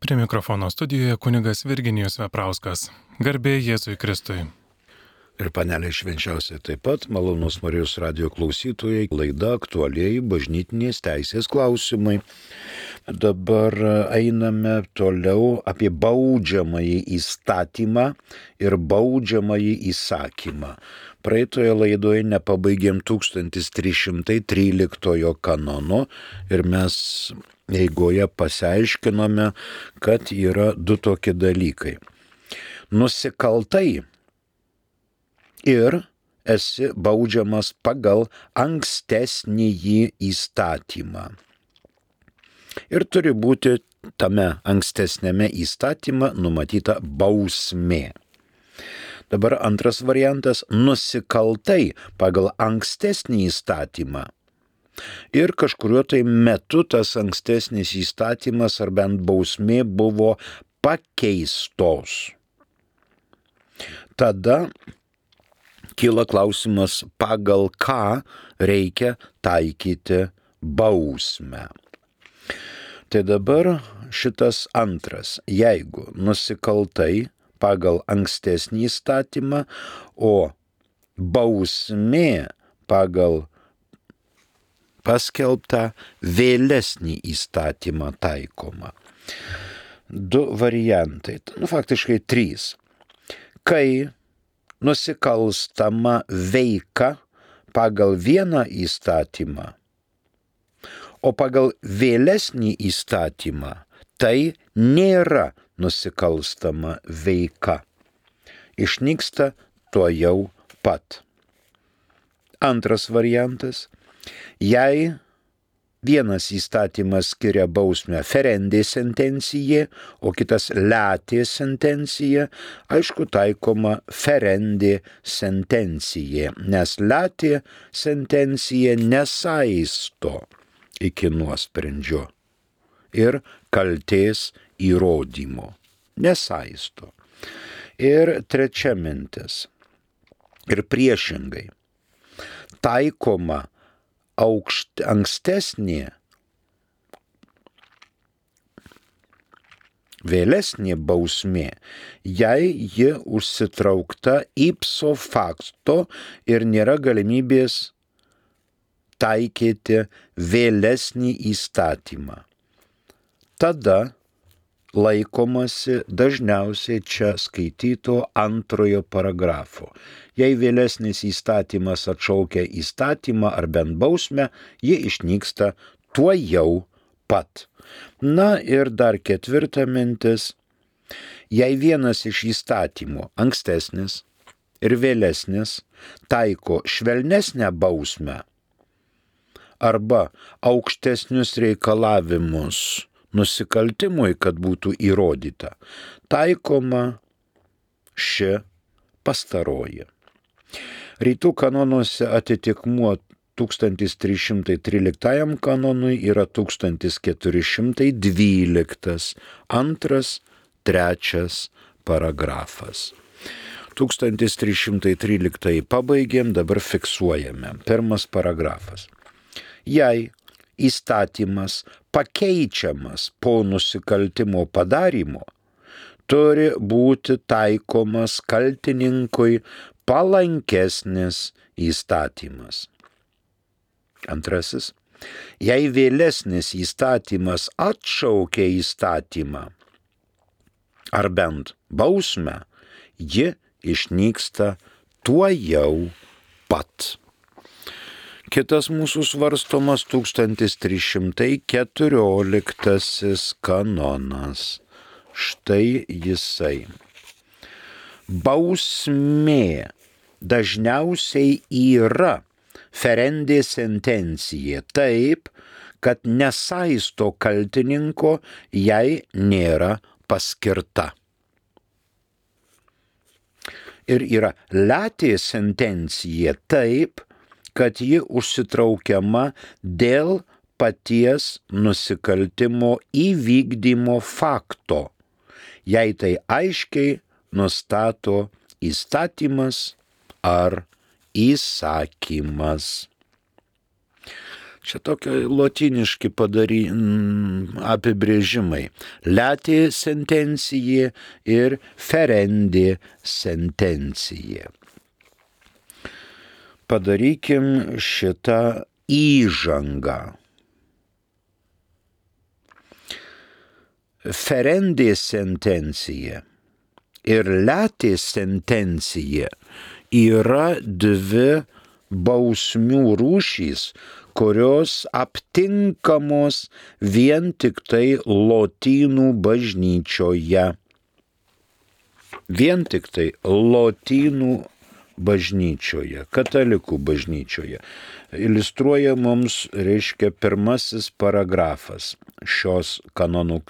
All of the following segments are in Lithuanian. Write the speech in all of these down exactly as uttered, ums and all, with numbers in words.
Prie mikrofono studijoje kunigas Virginijus Veprauskas. Garbė Jėzui Kristui. Ir panelė švenčiausiai taip pat, malonus Marijos radijo klausytojai, laida aktualieji bažnytinės teisės klausimai. Dabar einame toliau apie baudžiamąjį įstatymą ir baudžiamąjį įsakymą. Praeitoje laidoje nepabaigėm tūkstantis trys šimtai tryliktojo kanono ir mes eigoje pasiaiškinome, kad yra du tokie dalykai. Nusikaltai ir esi baudžiamas pagal ankstesnįjį įstatymą. Ir turi būti tame ankstesnėme įstatyme numatyta bausmė. Dabar antras variantas - nusikaltai pagal ankstesnį įstatymą. Ir kažkuriuo tai metu tas ankstesnis įstatymas ar bent bausmė buvo pakeistos. Tada kyla klausimas, pagal ką reikia taikyti bausmę. Tai dabar šitas antras, jeigu nusikaltai pagal ankstesnį įstatymą, o bausmė pagal paskelbtą vėlesnį įstatymą taikoma. Du variantai, nu faktiškai trys. Kai nusikalstama veika pagal vieną įstatymą, o pagal vėlesnį įstatymą tai nėra nusikalstama veika. Išnyksta tuojau pat. Antras variantas. Jei vienas įstatymas skiria bausmę ferendė sentencija, o kitas letė sentencija, aišku, taikoma ferendė sentencija, nes letė sentencija nesaisto iki nuosprendžio ir kaltės įrodymo. Nesaisto. Ir trečia mintis. Ir priešingai. Taikoma aukšt, ankstesnė, vėlesnė bausmė, jei ji užsitraukta ipso facto ir nėra galimybės taikyti vėlesnį įstatymą. Tada laikomasi dažniausiai čia skaityto antrojo paragrafo. Jei vėlesnis įstatymas atšaukia įstatymą ar bent bausmę, ji išnyksta tuojau pat. Na ir dar ketvirta mintis. Jei vienas iš įstatymų, ankstesnis ir vėlesnis, taiko švelnesnę bausmę arba aukštesnius reikalavimus nusikaltimui, kad būtų įrodyta, taikoma ši pastaroji. Rytų kanonuose atitikmuo tūkstantis trys šimtai tryliktajam kanonui yra tūkstantis keturi šimtai dvyliktas, antras, trečias paragrafas. tūkstantis trys šimtai tryliktąjį pabaigėm, dabar fiksuojame. Pirmas paragrafas. Jei įstatymas pakeičiamas po nusikaltimo padarymo, turi būti taikomas kaltininkui palankesnis įstatymas. Antrasis. Jei vėlesnis įstatymas atšaukia įstatymą, ar bent bausmę, ji išnyksta tuojau pat. Kitas mūsų svarstomas tūkstantis trys šimtai keturioliktasis kanonas. Štai jisai. Bausmė dažniausiai yra ferendė sentencija taip, kad nesaisto kaltininko, jei nėra paskirta. Ir yra letė sentencija taip, kad ji užsitraukiama dėl paties nusikaltimo įvykdymo fakto, jei tai aiškiai nustato įstatymas ar įsakymas. Čia tokie lotyniški padary, apibrėžimai. Letė sentencija ir ferendė sentencija. Padarykim šitą įžangą. Ferendė sentencija ir letė sentencija yra dvi bausmių rūšys, kurios aptinkamos vien tik tai lotynų bažnyčioje. Vien tik tai lotynų bažnyčioje, katalikų bažnyčioje. Iliustruoja mums, reiškia, pirmasis paragrafas šios kanonų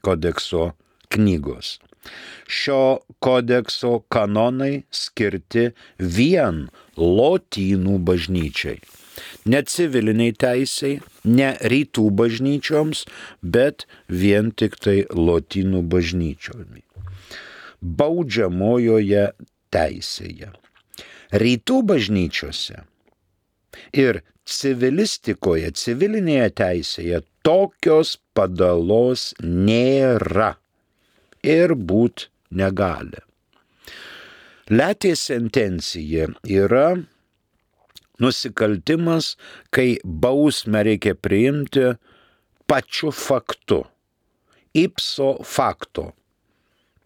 kodekso knygos. Šio kodekso kanonai skirti vien lotynų bažnyčiai. Ne civiliniai teisei, ne rytų bažnyčioms, bet vien tik tai lotynų bažnyčiomis. Baudžiamojoje teisėje. Rytų bažnyčiose ir civilistikoje, civilinėje teisėje tokios padalos nėra ir būt negali. Letė sentencija yra nusikaltimas, kai bausmę reikia priimti pačiu faktu, ipso facto.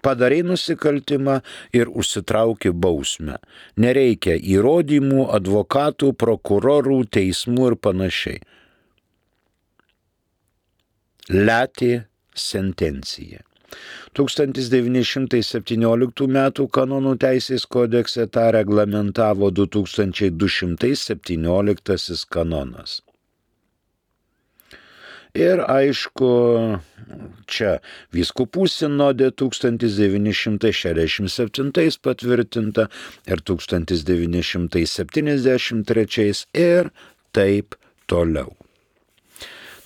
Padarai nusikaltimą ir užsitrauki bausmę. Nereikia įrodymų, advokatų, prokurorų, teismų ir panašiai. Letė sentencija. tūkstantis devyni šimtai septynioliktų metų kanonų teisės kodekse tą reglamentavo du tūkstančiai du šimtai septynioliktasis kanonas. Ir aišku, čia vyskupų sinodė tūkstantis devyni šimtai šešiasdešimt septintais patvirtinta ir tūkstantis devyni šimtai septyniasdešimt trečiais ir taip toliau.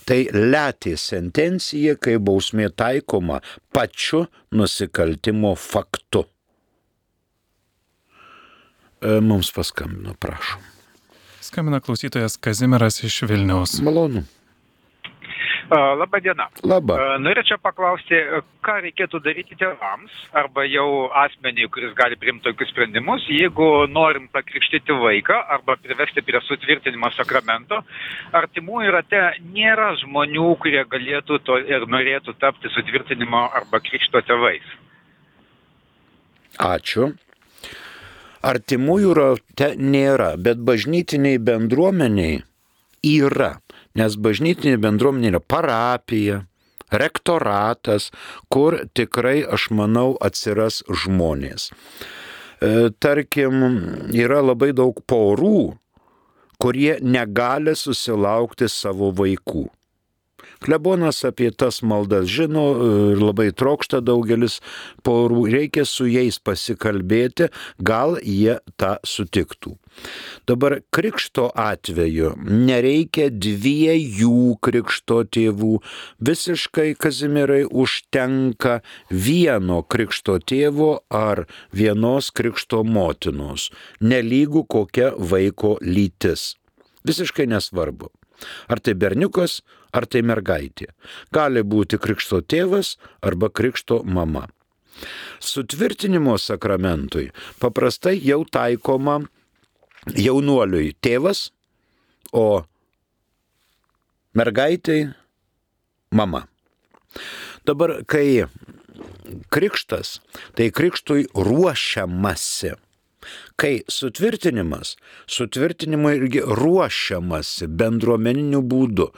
Tai letė sentencija, kai bausmė taikoma pačiu nusikaltimo faktu. Mums paskambino, prašom. Skambina klausytojas Kazimieras iš Vilniaus. Malonu. Labą dieną. Labą. Norėčiau paklausti, ką reikėtų daryti tėvams arba jau asmeniui, kuris gali priimti tokius sprendimus, jeigu norim pakrikštyti vaiką arba privesti prie sutvirtinimo sakramento, artimųjų rate nėra žmonių, kurie galėtų to ir norėtų tapti sutvirtinimo arba krikšto tėvais. Ačiū. Artimųjų rate nėra, bet bažnytiniai bendruomeniai yra. Nes bažnytinė bendruomenė yra parapija, rektoratas, kur tikrai, aš manau, atsiras žmonės. E, tarkim, yra labai daug porų, kurie negali susilaukti savo vaikų. Klebonas apie tas maldas žino ir labai trokšta daugelis porų, reikia su jais pasikalbėti, gal jie tą sutiktų. Dabar krikšto atveju nereikia dviejų krikšto tėvų, visiškai, Kazimierai, užtenka vieno krikšto tėvo ar vienos krikšto motinos, nelygų kokia vaiko lytis. Visiškai nesvarbu. Ar tai berniukas, ar tai mergaitė. Gali būti krikšto tėvas arba krikšto mama. Sutvirtinimo sakramentui paprastai jau taikoma jaunuoliui tėvas, o mergaitai mama. Dabar, kai krikštas, tai krikštui ruošiamasi. Kai sutvirtinimas, sutvirtinimui irgi ruošiamasi bendruomeniniu būdu.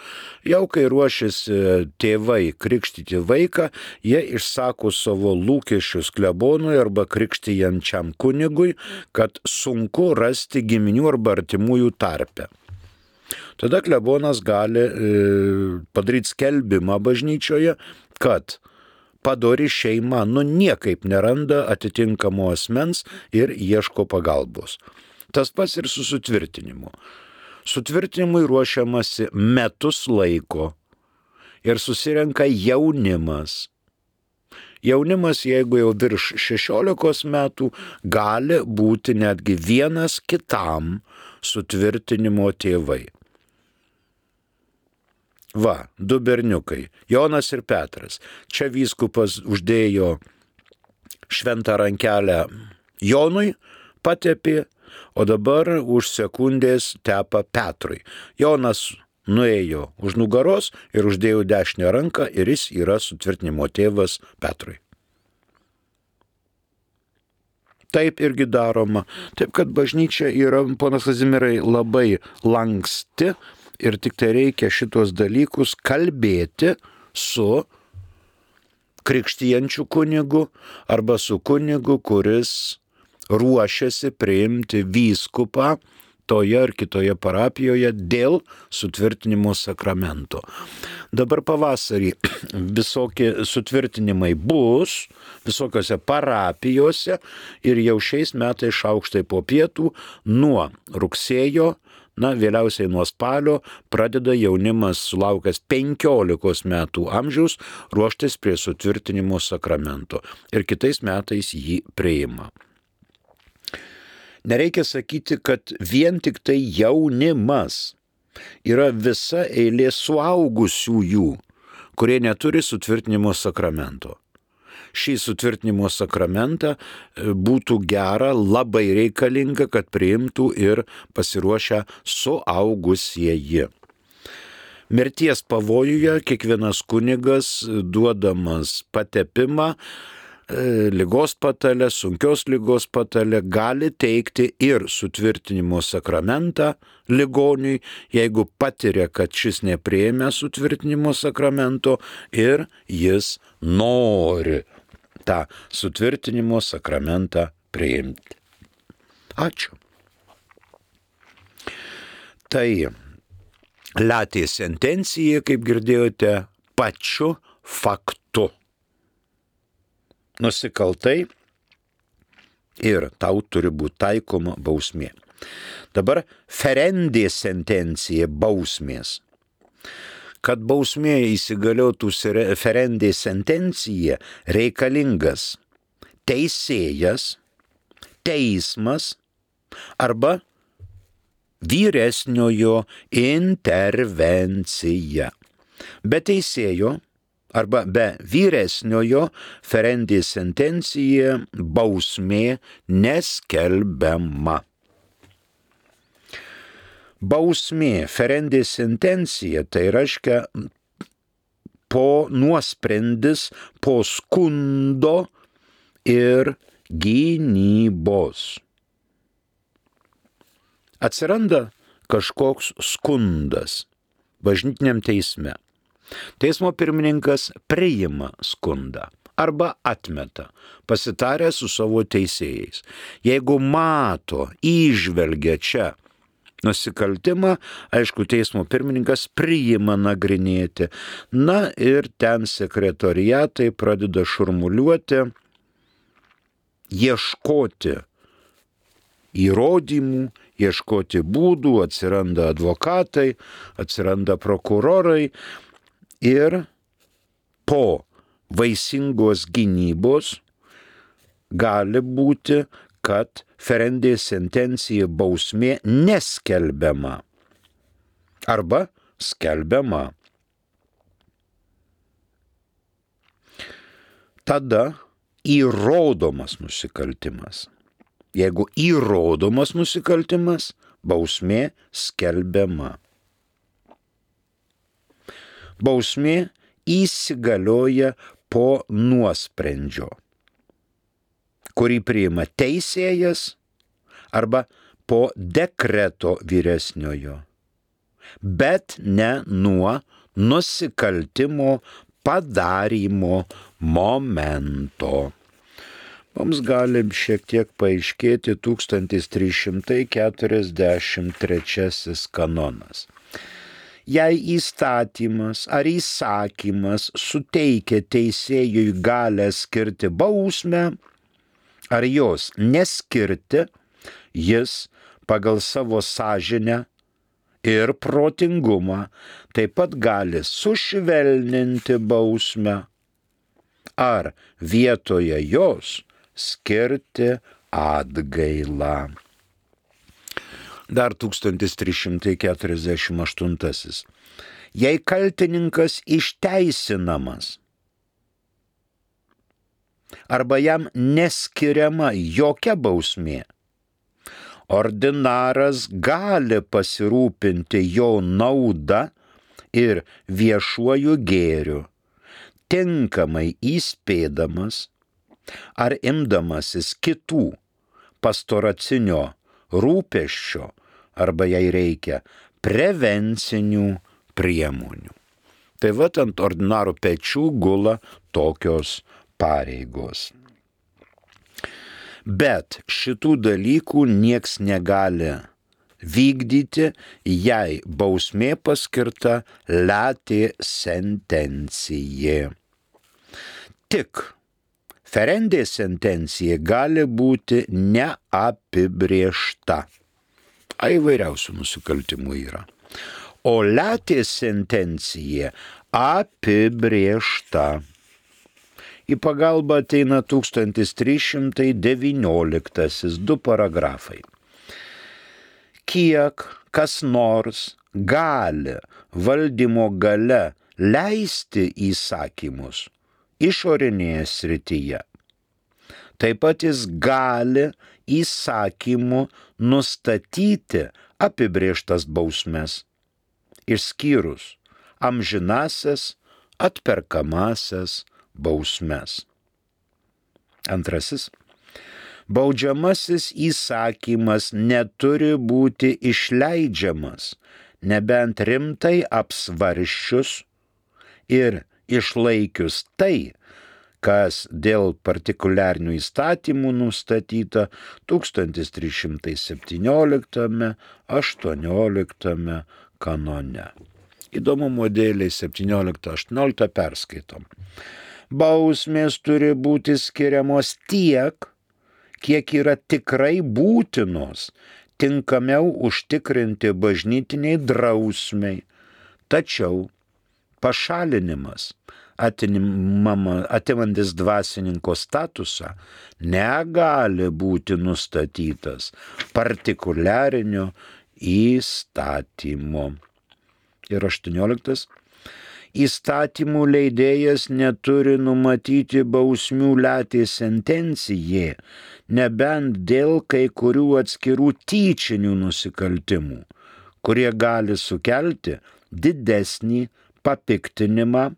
Jau kai ruošiasi tėvai krikštyti vaiką, jie išsako savo lūkesčius klebonui arba krikštijančiam kunigui, kad sunku rasti giminių arba artimųjų tarpe. Tada klebonas gali e, padaryti skelbimą bažnyčioje, kad padori šeima, nu niekaip neranda atitinkamo asmens ir ieško pagalbos. Tas pats ir su sutvirtinimu. Sutvirtinimui ruošiamasi metus laiko ir susirenka jaunimas. Jaunimas, jeigu jau virš šešiolikos metų, gali būti netgi vienas kitam sutvirtinimo tėvai. Va, du berniukai, Jonas ir Petras. Čia vyskupas uždėjo šventą rankelę Jonui, patepė, o dabar už sekundės tepa Petrui. Jonas nuėjo už nugaros ir uždėjo dešinę ranką ir jis yra sutvirtinimo tėvas Petrui. Taip irgi daroma. Taip, kad bažnyčia yra, ponas Kazimierai, labai lanksti ir tik tai reikia šitos dalykus kalbėti su krikštijančiu kunigu arba su kunigu, kuris ruošiasi priimti vyskupą toje ar kitoje parapijoje dėl sutvirtinimo sakramento. Dabar pavasarį visokie sutvirtinimai bus visokiose parapijose ir jau šiais metais šaukštai po pietų nuo rugsėjo, na, vėliausiai nuo spalio pradeda jaunimas sulaukęs penkiolikos metų amžiaus ruoštis prie sutvirtinimo sakramento ir kitais metais jį priima. Nereikia sakyti, kad vien tik tai jaunimas. Yra visa eilė suaugusiųjų, kurie neturi sutvirtinimo sakramento. Šį sutvirtinimo sakramentą būtų gera, labai reikalinga, kad priimtų ir pasiruošę suaugusieji. Mirties pavojuje kiekvienas kunigas, duodamas patepimą, ligos patalę, sunkios ligos patalę, gali teikti ir sutvirtinimo sakramentą ligoniui, jeigu patiria, kad šis nepriėmė sutvirtinimo sakramento ir jis nori tą sutvirtinimo sakramentą priimti. Ačiū. Tai latė sentencija, kaip girdėjote, pačiu faktu. Nusikaltai ir tau turi būti taikoma bausmė. Dabar ferendė sentencija bausmės. Kad bausmė įsigaliotų ferendė sentencija, reikalingas teisėjas, teismas arba vyresniojo intervencija. Be teisėjo arba be vyresniojo ferendė sentencija bausmė neskelbiama. Bausmė ferendė sentencija tai reiškia po nuosprendis, po skundo ir gynybos. Atsiranda kažkoks skundas bažnytiniam teisme. Teismo pirmininkas priima skundą arba atmeta, pasitarę su savo teisėjais. Jeigu mato, įžvelgia čia nusikaltimą, aišku, teismo pirmininkas priima nagrinėti. Na ir ten sekretoriatai pradeda šurmuliuoti, ieškoti įrodymų, ieškoti būdų, atsiranda advokatai, atsiranda prokurorai ir po vaisingos gynybos gali būti, kad ferendė sentencija bausmė neskelbiama arba skelbiama. Tada įrodomas nusikaltimas. Jeigu įrodomas nusikaltimas, bausmė skelbiama. Bausmė įsigalioja po nuosprendžio, kurį priima teisėjas arba po dekreto vyresniojo, bet ne nuo nusikaltimo padarymo momento. Mums gali šiek tiek paaiškėti tūkstantis trys šimtai keturiasdešimt trečiasis kanonas. Jei įstatymas ar įsakymas suteikia teisėjui galę skirti bausmę, ar jos neskirti, jis pagal savo sąžinę ir protingumą taip pat gali sušvelninti bausmę ar vietoje jos skirti atgailą. Dar tūkstantis trys šimtai keturiasdešimt aštuntasis. Jei kaltininkas išteisinamas arba jam neskiriama jokia bausmė, ordinaras gali pasirūpinti jo nauda ir viešuoju gėriu, tinkamai įspėdamas ar imdamasis kitų pastoracinio rūpesčio arba jei reikia prevencinių priemonių. Tai va ant ordinaro pečių gula tokios pareigos. Bet šitų dalykų nieks negali vykdyti, jei bausmė paskirta latė sentencija. Tik ferendė sentencija gali būti neapibrėžta. A įvairiausių nusikaltimų yra. O latė sentencija apibrėžta. Į pagalbą ateina tūkstantis trys šimtai devynioliktasis du paragrafai. Kiek kas nors gali valdymo gale leisti įsakymus išorinėje srityje, taip pat jis gali įsakymu nustatyti apibrėžtas bausmes, išskyrus amžinasias atperkamasias bausmes. Antrasis. Baudžiamasis įsakymas neturi būti išleidžiamas, nebent rimtai apsvarsčius ir išlaikius tai, kas dėl partikuliarinių įstatymų nustatyta tūkstantis trys šimtai septynioliktame aštuonioliktame kanone. Įdomumo dėliai septynioliktą aštuonioliktą perskaitom. Bausmės turi būti skiriamos tiek, kiek yra tikrai būtinos, tinkamiau užtikrinti bažnytiniai drausmei, tačiau pašalinimas, atimantis dvasininko statusą, negali būti nustatytas partikuliarinio įstatymo. Ir aštuonioliktas. Įstatymų leidėjas neturi numatyti bausmių latė sentencijai, nebent dėl kai kurių atskirų tyčinių nusikaltimų, kurie gali sukelti didesnį papiktinimą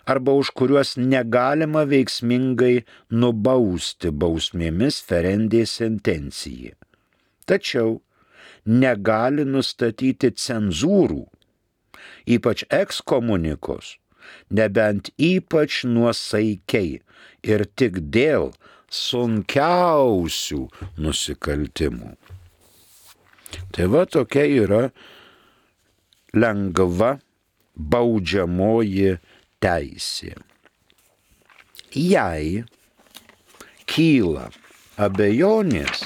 arba už kuriuos negalima veiksmingai nubausti bausmėmis ferendė sentencijai. Tačiau negali nustatyti cenzūrų, ypač ekskomunikos, nebent ypač nuosaikiai ir tik dėl sunkiausių nusikaltimų. Tai va tokia yra lengva baudžiamoji teisė. Jei kyla abejonės,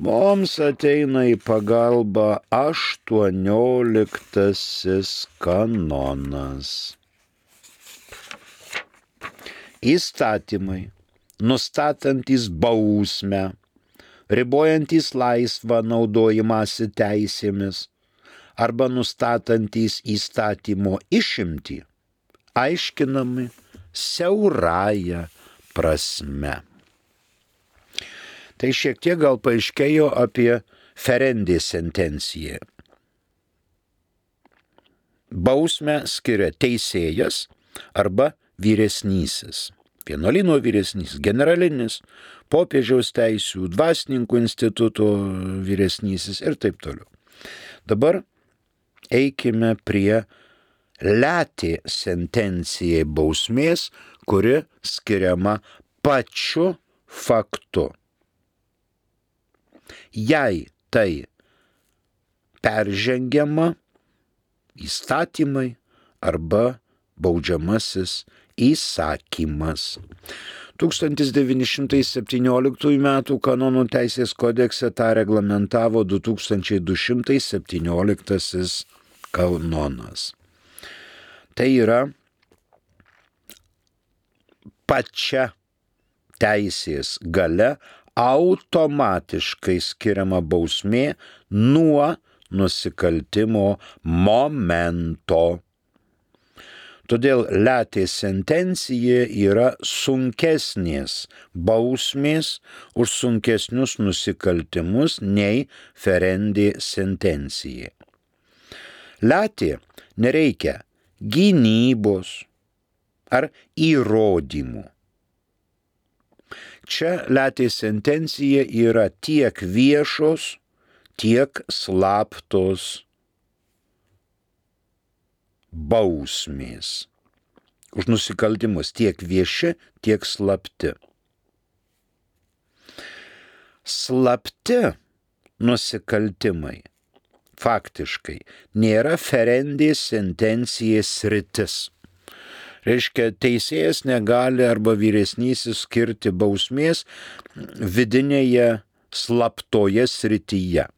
mums ateina į pagalbą aštuonioliktasis kanonas. Įstatymai, nustatantys bausmę, ribojantys laisvą naudojimąsi teisėmis arba nustatantys įstatymo išimtį, aiškinami siaurąja prasme. Tai šiek tiek gal paaiškėjo apie ferendė sentenciją. Bausmę skiria teisėjas arba vyresnysis. Vienuolyno vyresnysis, generalinis, popiežiaus teisių, dvasininkų instituto vyresnysis ir taip toliau. Dabar eikime prie latė sentencijai bausmės, kuri skiriama pačiu faktu. Jei tai peržengiama įstatymai arba baudžiamasis įsakymas. tūkstantis devyni šimtai septynioliktųjų metų kanonų teisės kodekse tą reglamentavo du tūkstančiai du šimtai septynioliktasis kanonas. Tai yra pačia teisės gale automatiškai skiriama bausmė nuo nusikaltimo momento. Todėl letė sentencija yra sunkesnės bausmės už sunkesnius nusikaltimus nei ferendė sentencija. Letė nereikia gynybos ar įrodymų. Čia letė sentencija yra tiek viešos, tiek slaptos bausmės. Už nusikaltimus tiek vieši, tiek slapti. Slapti nusikaltimai faktiškai nėra ferendės sentencijos sritis. Reiškia, teisėjas negali arba vyresnysis skirti bausmės vidinėje slaptoje srityje.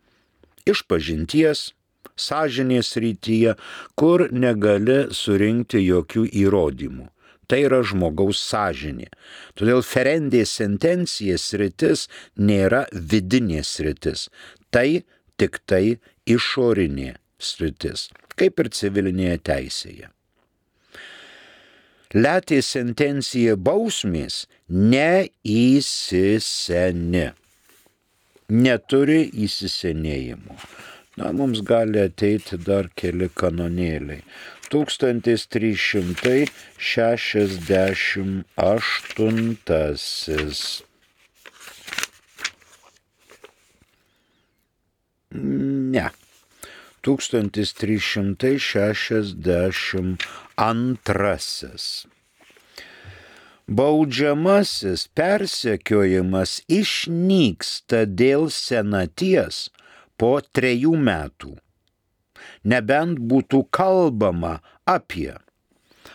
Išpažinties, sąžinės srityje, kur negali surinkti jokių įrodymų. Tai yra žmogaus sąžinė. Todėl ferendės sentencijos sritis nėra vidinė sritis. Tai tik tai išorinė sritis, kaip ir civilinėje teisėje. Letė sentencija bausmės neįsiseni. Neturi įsisenėjimo. Na, mums gali ateiti dar keli kanonėliai. tūkstantis trys šimtai šešiasdešimt aštuntasis. Ne. tūkstantis trys šimtai šešiasdešimt antrasis. Baudžiamasis persekiojimas išnyksta dėl senaties po trejų metų, nebent būtų kalbama apie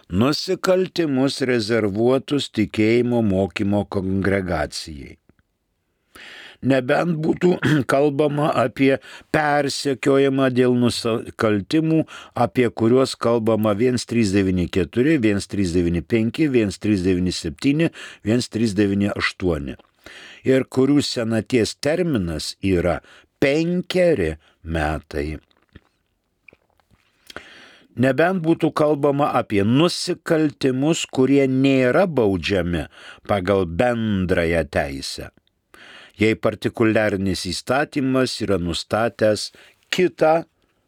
nusikaltimus rezervuotus tikėjimo mokymo kongregacijai, nebent būtų kalbama apie persekiojimą dėl nusikaltimų, apie kuriuos kalbama vienas trys devyni keturi, vienas trys devyni penki, vienas trys devyni septyni, vienas trys devyni aštuoni ir kurių senaties terminas yra penkeri metai. Nebent būtų kalbama apie nusikaltimus, kurie nėra baudžiami pagal bendrąją teisę, jei partikuliarinis įstatymas yra nustatęs kitą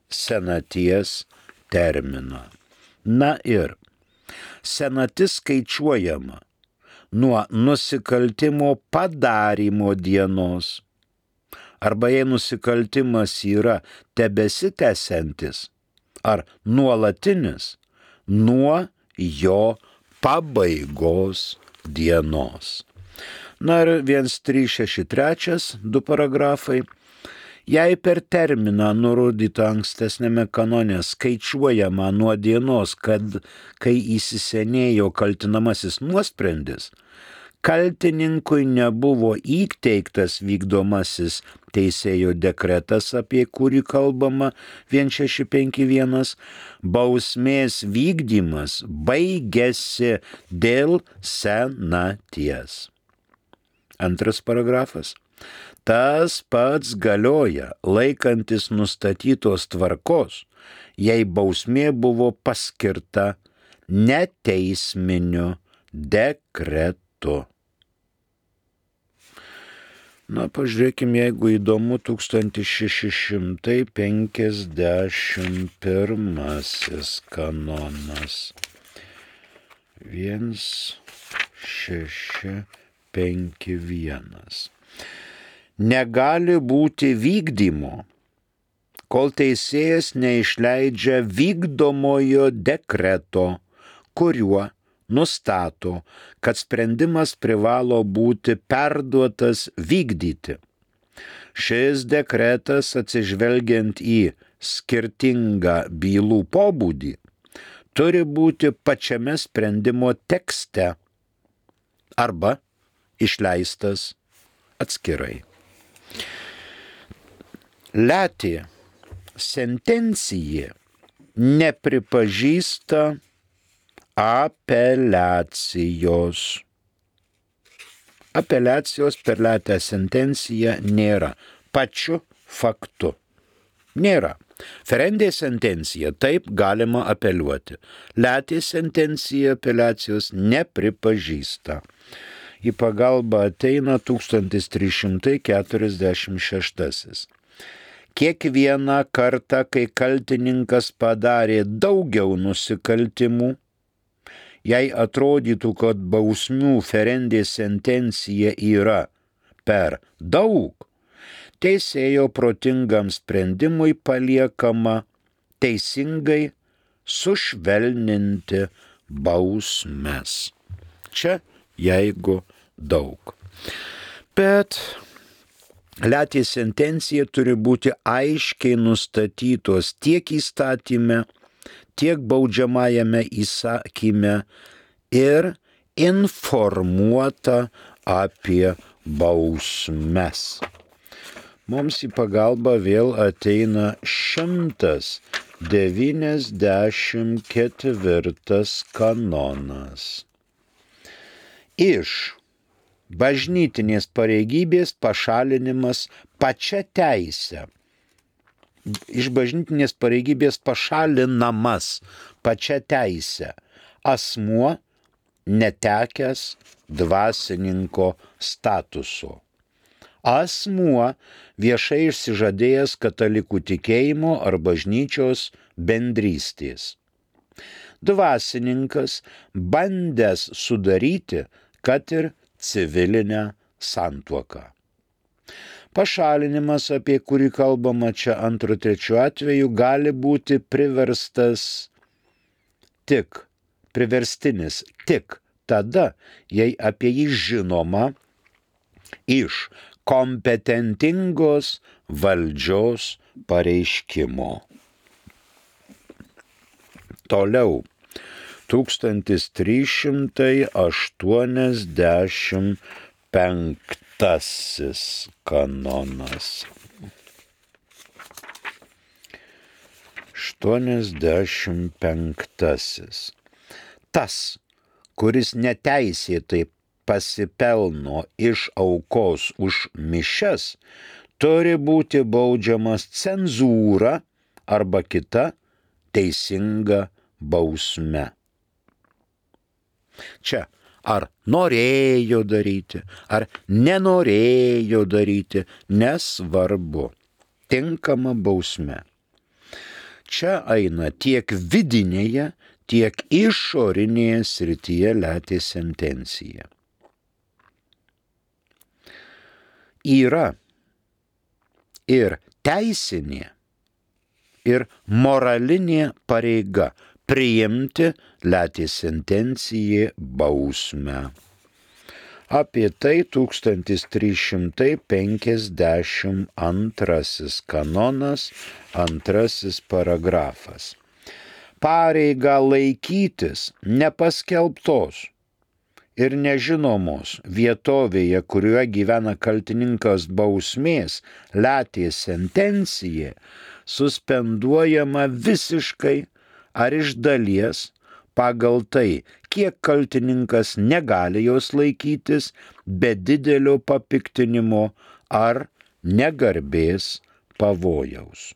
senaties terminą. Na ir senatis skaičiuojama nuo nusikaltimo padarymo dienos, arba jei nusikaltimas yra tebesitęsiantis ar nuolatinis, nuo jo pabaigos dienos. Na ir vienas trys šeši trys, du paragrafai. Jei per terminą nurodytą ankstesnėme kanone skaičiuojama nuo dienos, kad kai įsisenėjo kaltinamasis nuosprendis, kaltininkui nebuvo įteiktas vykdomasis teisėjo dekretas, apie kurį kalbama vienas šeši penki vienas, bausmės vykdymas baigėsi dėl senaties. Antras paragrafas. Tas pats galioja laikantis nustatytos tvarkos, jei bausmė buvo paskirta neteisminiu dekretu. Na, pažiūrėkime, jeigu įdomu, tūkstantis šeši šimtai penkiasdešimt pirmasis kanonas. vienas šeši penki vienas. Negali būti vykdymo, kol teisėjas neišleidžia vykdomojo dekreto, kuriuo nustato, kad sprendimas privalo būti perduotas vykdyti. Šis dekretas, atsižvelgiant į skirtingą bylų pobūdį, turi būti pačiame sprendimo tekste arba išleistas atskirai. Letė sentencija nepripažįsta apeliacijos. Apeliacijos per letę sentenciją nėra pačiu faktu. Nėra. Ferendė sentencija, taip galima apeliuoti. Letė sentencija apeliacijos nepripažįsta. Į pagalbą ateina tūkstantis trys šimtai keturiasdešimt šeštasis. Kiekvieną kartą, kai kaltininkas padarė daugiau nusikaltimų, jei atrodytų, kad bausmių ferendė sentencija yra per daug, teisėjo protingam sprendimui paliekama teisingai sušvelninti bausmes. Čia jeigu daug. Bet letė sentencija turi būti aiškiai nustatytos tiek įstatyme, tiek baudžiamajame įsakyme ir informuota apie bausmes. Mums į pagalbą vėl ateina šimtas devyniasdešimt ketvirtas kanonas. Iš bažnytinės pareigybės pašalinimas pačia teise. Iš bažnytinės pareigybės pašalinamas pačia teise asmuo netekęs dvasininko statuso. Asmuo viešai išsižadėjęs katalikų tikėjimo ar bažnyčios bendrystės. Dvasininkas bandęs sudaryti, kad ir civilinę santuoką. Pašalinimas, apie kurį kalbama čia antru trečiu atveju, gali būti priverstas tik, priverstinis tik tada, jei apie jį žinoma iš kompetentingos valdžios pareiškimo. Toliau. tūkstantis trys šimtai aštuoniasdešimt penktasis kanonas. aštuoniasdešimt penktasis. Tas, kuris neteisėtai pasipelno iš aukos už mišias, turi būti baudžiamas cenzūra arba kita teisinga bausme. Čia ar norėjo daryti, ar nenorėjo daryti, nesvarbu. Tinkama bausme. Čia eina tiek vidinėje, tiek išorinėje srityje letė sentencija. Yra ir teisinė, ir moralinė pareiga priimti letė sentencijai bausmę. Apie tai tūkstantis trys šimtai penkiasdešimt antrasis kanonas, antrasis paragrafas. Pareiga laikytis nepaskelbtos ir nežinomos vietovėje, kurioje gyvena kaltininkas bausmės, letė sentencija suspenduojama visiškai ar iš dalies pagal tai, kiek kaltininkas negali jos laikytis be didelio papiktinimo ar negarbės pavojaus.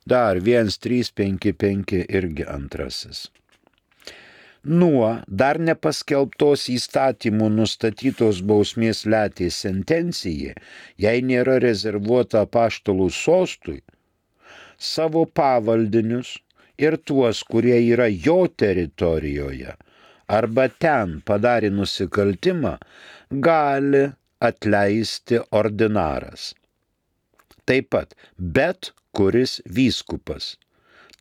Dar vienas trys penki penki irgi antrasis. Nuo dar nepaskelbtos įstatymų nustatytos bausmės letė sentencija, jei nėra rezervuota apaštalų sostui, savo pavaldinius ir tuos, kurie yra jo teritorijoje arba ten padarė nusikaltimą, gali atleisti ordinaras. Taip pat bet kuris vyskupas,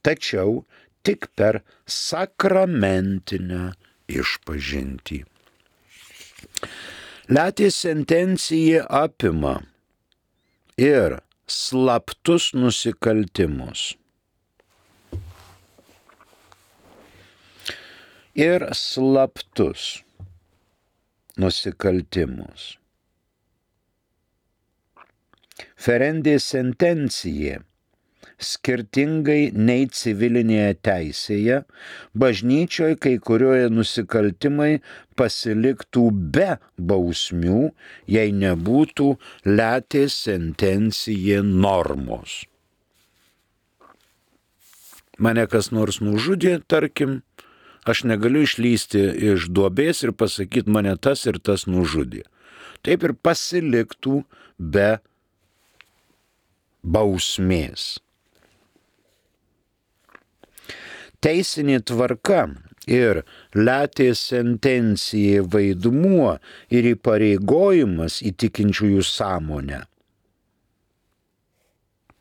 tačiau tik per sakramentinę išpažintį. Letė sentencija apima ir slaptus nusikaltimus. Ir slaptus nusikaltimus. Ferendė sentencija, skirtingai nei civilinėje teisėje, bažnyčioje kai kurioje nusikaltimai pasiliktų be bausmių, jei nebūtų letė sentencija normos. mane kas nors nužudė, tarkim, aš negaliu išlysti iš duobės ir pasakyti, mane tas ir tas nužudė. Taip ir pasiliktų be bausmės. Teisinė tvarka ir letės sentencija vaidmuo ir įpareigojimas į tikinčiųjų sąmonę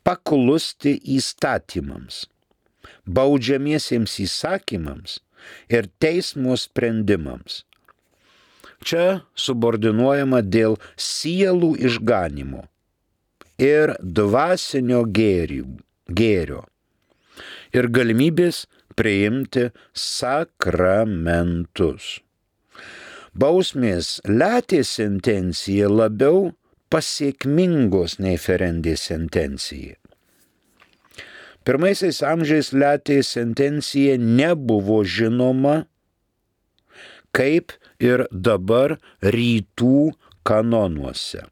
paklusti įstatymams, baudžiamiesiems įsakymams ir teismo sprendimams. Čia subordinuojama dėl sielų išganimo ir dvasinio gėrio ir galimybės priimti sakramentus. Bausmės letės sentencija labiau pasiekmingos nei ferendės sentencija. Pirmaisiais amžiais letės sentencija nebuvo žinoma, kaip ir dabar rytų kanonuose.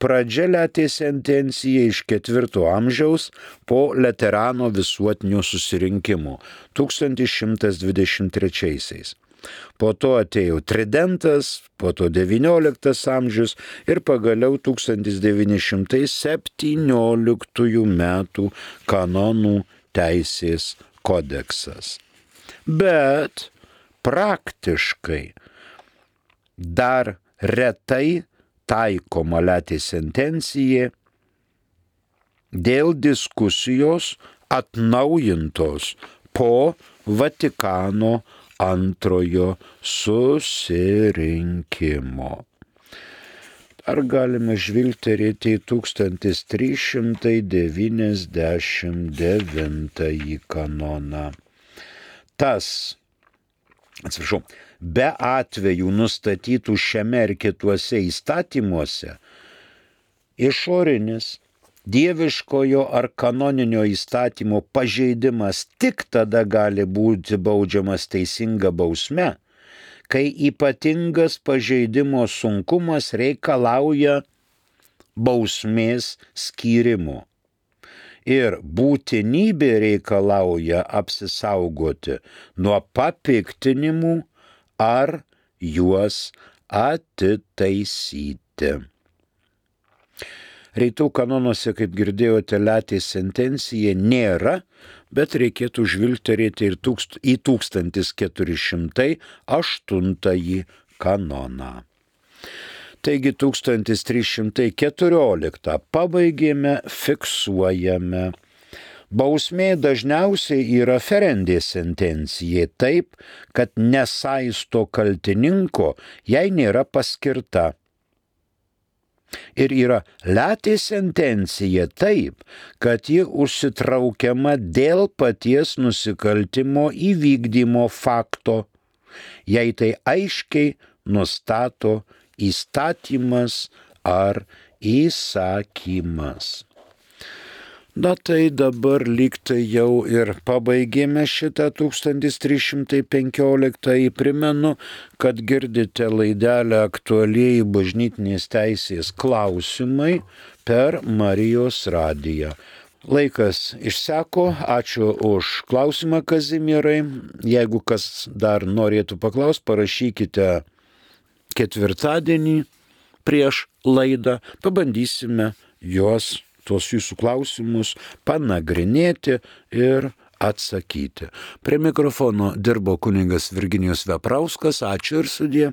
Pradžia letės sentencija iš ketvirto amžiaus po Laterano visuotinio susirinkimo tūkstantis šimtas dvidešimt trečiaisiais. Po to atėjo tridentas, po to devynioliktas amžius ir pagaliau tūkstantis devyni šimtai septynioliktųjų metų kanonų teisės kodeksas. Bet praktiškai dar retai taikoma letės sentencija dėl diskusijos atnaujintos po Vatikano antrojo susirinkimo. Ar galime žvilgterėti į tūkstantis trys šimtai devyniasdešimt devintąjį kanoną. Tas, atsiprašau, be atvejų nustatytų šiame ir kituose įstatymuose, išorinis dieviškojo ar kanoninio įstatymo pažeidimas tik tada gali būti baudžiamas teisinga bausme, kai ypatingas pažeidimo sunkumas reikalauja bausmės skyrimo ir būtinybė reikalauja apsisaugoti nuo papiktinimų ar juos atitaisyti. Rytų kanonuose, kaip girdėjote, letės sentencija nėra, bet reikėtų žvilgterėti ir tūkst, į tūkstantis keturi šimtai aštuntąjį kanoną. Taigi tūkstantis trys šimtai keturioliktą pabaigėme, fiksuojame. Bausmė dažniausiai yra ferendės sentencija taip, kad nesaisto kaltininko, jei nėra paskirta. Ir yra letės sentencija taip, kad ji užsitraukiama dėl paties nusikaltimo įvykdymo fakto, jei tai aiškiai nustato įstatymas ar įsakymas. Na tai dabar lygtai jau ir pabaigėme šitą tūkstantis trys šimtai penkioliktąjį. Primenu, kad girdite laidelę aktualieji bažnytinės teisės klausimai per Marijos radiją. Laikas išseko, ačiū už klausimą, Kazimierai. Jeigu kas dar norėtų paklaust, parašykite ketvirtadienį prieš laidą, pabandysime juos tuos jūsų klausimus panagrinėti ir atsakyti. Prie mikrofono dirbo kunigas Virginijus Veprauskas. Ačiū ir sudie.